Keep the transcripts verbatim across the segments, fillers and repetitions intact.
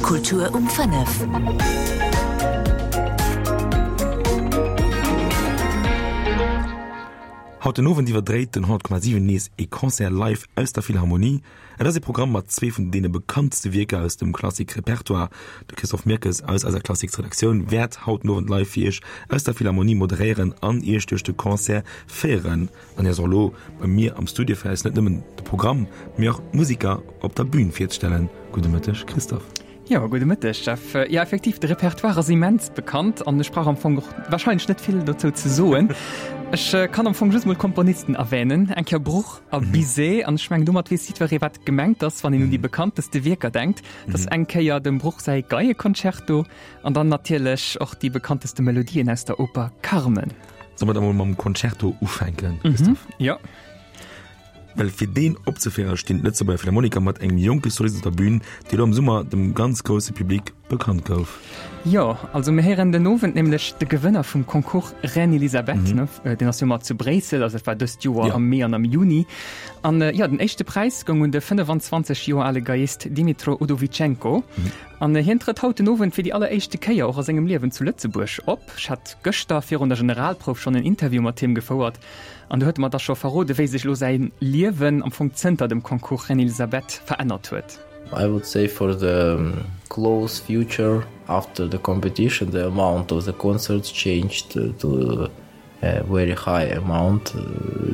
Kultur um fënnef. Haut den Owend iwwerdréit den honnert Komma siwen nees ee Concert live aus der Philharmonie. Et ass ee Programm mat zwee vun deene bekanntste Wierker aus dem Klassik-Repertoire. De Christophe Mirkes aus eiser Klassiksredaktioun wäert haut den Owend live fir Iech aus der Philharmonie moderéieren an Iech duerch de Concert féieren. An hie ass och elo bei mir am Studio fir eis net nëmmen de Programm, mee och d'Musiker op der Bün virzestellen. Gudde Mëtteg Christophe. Jo, gudde Mëtteg Jeff. Jo, effektiv, de Repertoire ass immens bekannt an ech brauch am Fong och warscheinlech net vill dozou ze soen. Ech kann am Fong just mol d'Komponisten erwänen, eng Kéier Bruch a Bizet, an ech mengen domat weess jiddweree wat gemengt ass, wann een un déi bekannteste Wierker denkt. Dat ass eng Kéier dem Bruch säi Geieconcerto an dann natierlech och déi bekannteste Melodien aus der Oper Carmen. Solle mer da mol mam Concerto ufänken, Christophe? Jo. Well fir deen opzeféiere stinn d'Lëtzebuerger Philharmoniker mat engem jonke Solist op der Bün, dee lo am Summer dem ganz grousse Public bekannt gouf. Jo, also mir héieren den Owend nämlech de Gewënner vum Concours Reine Elisabeth, ne, deen ass jo ëmmer zu Bréissel, also dat war dëst Joer am Mee an am Juni. An jo, den éischte Präis goung un de fënnefan-zwanzeg Joer ale Geiist Dmytro Udovichenko. An hien trëtt haut den Owend fir déi alleréischte Kéier och a sengem Liewen zu Lëtzebuerg op. Ech hat gëschter virun der Generalprouf schonn en Interview mat him gefouert an do huet e mer da scho verrode wéi sech elo säi Liewen am Fong zënter dem Concours Reine Elisabeth verännert huet. I would say for the close future after the competition the amount of the concerts changed to a very high amount.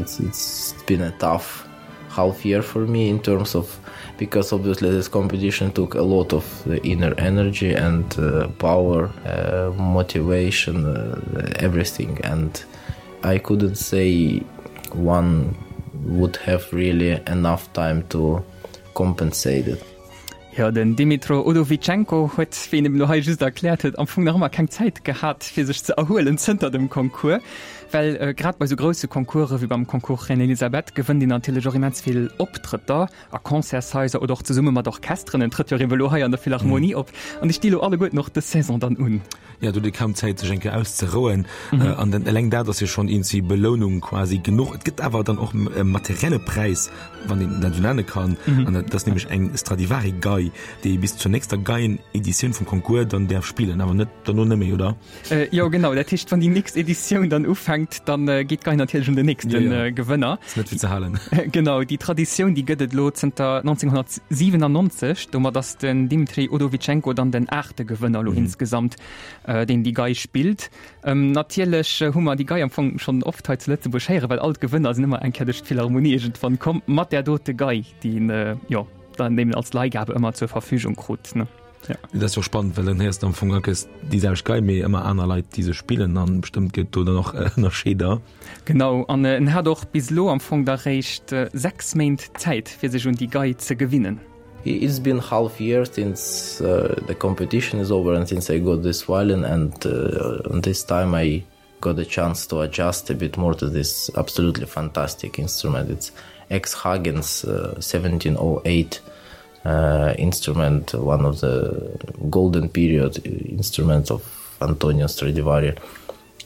It's, it's been a tough half year for me in terms of because obviously this competition took a lot of the inner energy and uh, power, uh, motivation, uh, everything and I couldn't say one would have really enough time to compensate it. Jo, den Dmytro Udovichenko huet, wéi en eben elo hei just erkläert huet, am Fong nach ëmmer keng Zäit gehat, fir sech ze erhuelen zënter dem Concours. Well grad bei esou grousse Concourse wéi beim Concours Reine Elisabeth gewënnt een natierlech och immens vill Optrëtter a Concertshaiser oder och zesumme mat Orchesteren. En trëtt jo och ebe elo hei an der Philharmonie op an déi sti elo alleguerten och dës Saison dann un. Jo, do huet ee kaum Zäit, sech eng Kéier auszerouen. An dann eleng dat ass jo schonn iergendwéi Belounung quasi genuch. Et gëtt awer dann och e materielle Präis, wann een dat esou nenne kann. An dat ass nämlech eng Stradivari-Gei, déi ee bis zur nächster Geien-Editioun vum Concours dann däerf spillen, awer net derno net méi, oder? Jo, genau. Dat heescht, wann déi nächst Editioun dann ufänkt, dann geet d'Gei natierlech un den nächste Gewënner. Ass net fir ze halen. Genau, déi Traditioun, déi gëtt et elo zënter nonzénghonnertsiwenannonzeg. Domat ass den Dmitri Udovichenko dann den aachte Gewënner elo insgesamt, deen déi Gei spillt. Natierlech hu mer déi Gei am Fong schonn oft hei zu Lëtzebuerg héieren, well all d'Gewënner sinn ëmmer eng Kéier duerch d'Philharmonie iergendwann komm mat där dote Gei, déi een, jo, dann eben als Leihgabe ëmmer zur Verfügung krut, ne? Ja. Dat ass jo spannend, well dann héiers de am Fong akes déi selwecht Gei, mee ëmmer aner Leit, déi se spillen an bestëmmt gëtt do dann och Ënnerscheeder. Genau, an en hat och bis elo am Fong da réischt sechs Méint Zäit, fir sech un déi Gei ze gewinnen. It's been half year since uh, the competition is over and since I got this violin and uh, this time I got a chance to adjust a bit more to this absolutely fantastic instrument. It's ex Hagen's uh, seventeen oh eight uh, instrument, one of the golden period instruments of Antonio Stradivari.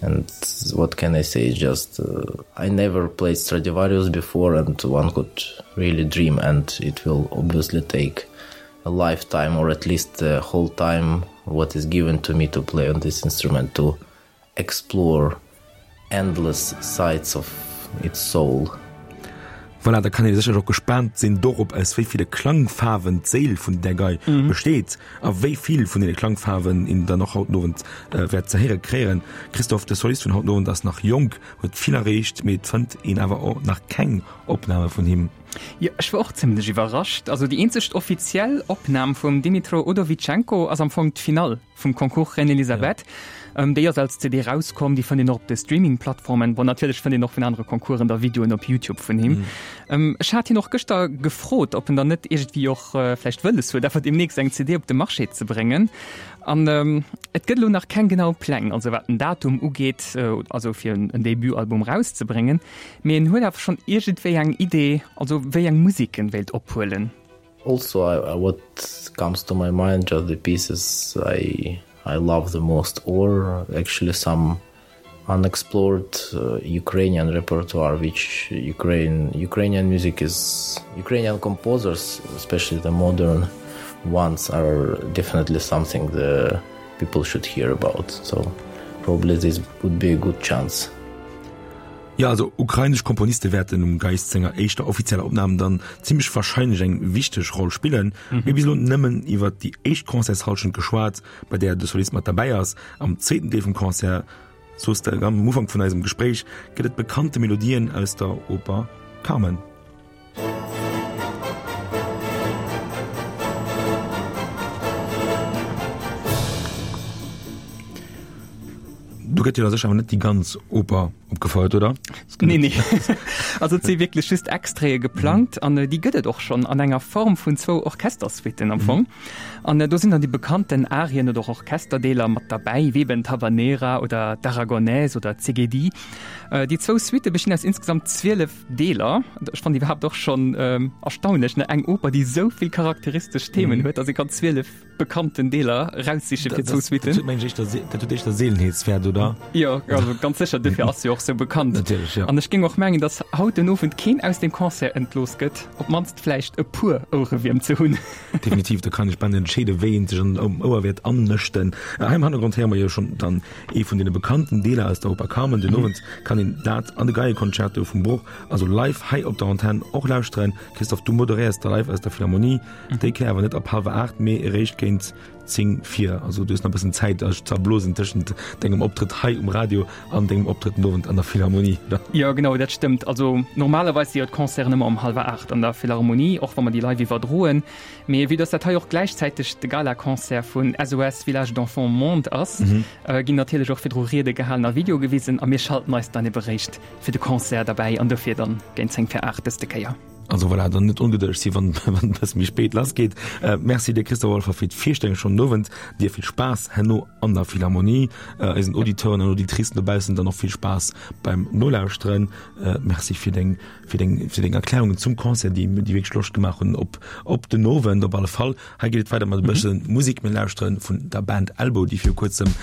And what can I say? Just uh, I never played Stradivarius before, and one could really dream, and it will obviously take a lifetime, or at least the whole time what is given to me to play on this instrument, to explore endless sides of its soul. Voilà, da kann ee sécherlech och gespaant sinn dorop, aus wéi ville Klangfaarwen d'Séil vun där Gei besteet a wéi vill vun deene Klangfaarwen een dann och haut den Owend wäert ze héiere kréien. Christophe, de Solist vun haut den Owend ass nach jonk, huet vill erreecht, mee et fënnt een awer och nach keng Opname vun him. Jo, ech war och zimlech iwwerrascht. Also déi eenzeg offiziell Opnam vum Dmytro Udovichenko ass am Fong d'Finall vum Concours Reine Elisabeth. Déi ass als C D rauskomm, déi fënnt een och op de Streaming-Plattformen. Bon, natierlech fënnt een och vun anere Concoursen da Videoen op YouTube vun him. Ech hat hien och gëschter gefrot, ob en dann net iergendwéi och vläicht wëlles huet, awer deemnächst eng C D op de Marché ze bréngen. An et gëtt elo nach keng genau Pläng, also wat den Datum ugeet, also fir en Debutalbum rauszebréngen. Mee en huet awer schonn iergendwéi eng Idee, also wéi eng Musek en wéilt ophuelen. Also, I, I, what comes to my mind, just the pieces I, I love the most, or actually some unexplored, uh, Ukrainian repertoire, which Ukraine, Ukrainian music is, Ukrainian composers, especially the modern ones are definitely something the people should hear about. So probably this would be a good chance. Ja also ukrainesch Komponiste wäerten um Geiz senger éischter offizieller Opnam dann zimmlech warscheinlech eng wichteg Roll spillen. Mhm. Mir hu bis elo nëmmen iwwer déi éischt Concertshallschent geschwat, bei där de Solist mat derbäi ass. Am zweeten Deel vum Concert, soos de am Ufank vun eisem Gespréich, gëtt et bekannte Melodien aus der Oper Carmen. Do gëtt jo da sécher awer net déi ganz Oper opgefouert, oder? Nee, nee. Also et si wierklech just Extraite geplangt an déi gëtt et och schonn an enger Form vun zwou Orchestersuiten am Fong. An do sinn dann déi bekannten Arien oder och Orchesterdeeler mat derbäi, wéi eben d'Habanera oder d'Aragonaise oder d'Szegedi. Déi zwou Suitte bestinn aus insgesamt zwielef Deeler. Ech fannen iwwerhaapt och schonn erstaunlech, ne, eng Oper, déi esou vill charakteristesch Themen huet, dass ee kann zwielef bekannten Deeler raussiche fir zwou Suiten. Dat huet éischter Seelenheetswäert, oder? Jo, also ganz sécher, dofir ass se jo och sou bekannt. Natierlech, jo. An ech géing och mengen, datt haut den Owend keen aus dem Concert entlooss gëtt, op d'mannst vläicht e puer Ouerewierm ze hunn. Definitiv, do kann ech bal net entscheeden, wéi een sech am Ouer wäert annëschten. Hei am Hannergrond héiere mer jo schonn dann ee vun deene bekannten Deeler aus der Oper Carmen. Den Owend kann een dat an de Geieconcerto vum Bruch, also live hei op der Antenn och lauschteren. Christophe, du moderéiers da live aus der Philharmonie. Déi Kéier awer net ab hallwer aacht, mee eréischt géint zéng vir. Also du hues nach e bëssen Zäit, dech ze erblosen tëschent dengem Optrëtt hei um Radio an dengem Optrëtt den Owend an der Philharmonie, oder? Jo, genau, dat stëmmt. Also normalerweis si jo d'Concerten ëmmer um hallwer aacht an der Philharmonie, och wa mer déi live iwwerdroen. Mee vue dass dat hei och gläichzäiteg de Galaconcert vun S O S Village d'Enfants Monde ass, ginn natierlech och virdru Riede gehalen a Video gewisen a mir schalten eis dann ebe réischt fir de Concert derbäi an dofir dann géint zéng vir aacht dëste Kéier. Also voilà, dann net ongedëlleg si wann wann et bësse méi spéit lass geet. Merci dir Christophe Walfer fir d'Virstellung schonn den Owend. Dir vill Spaass herno an der Philharmonie, eisen Auditeuren an Auditricen dobaussen dann och vill Spaass beim Nolauschteren. Merci fir deng fir deng fir deng Erklärungen zum Concert, déi déi wierklech Loscht gemaach hunn op op den Owend op alle Fall. Hei geet et weider mat e bësse Musek. Mir lauschteren vun der Band Elbow, déi viru kuerzem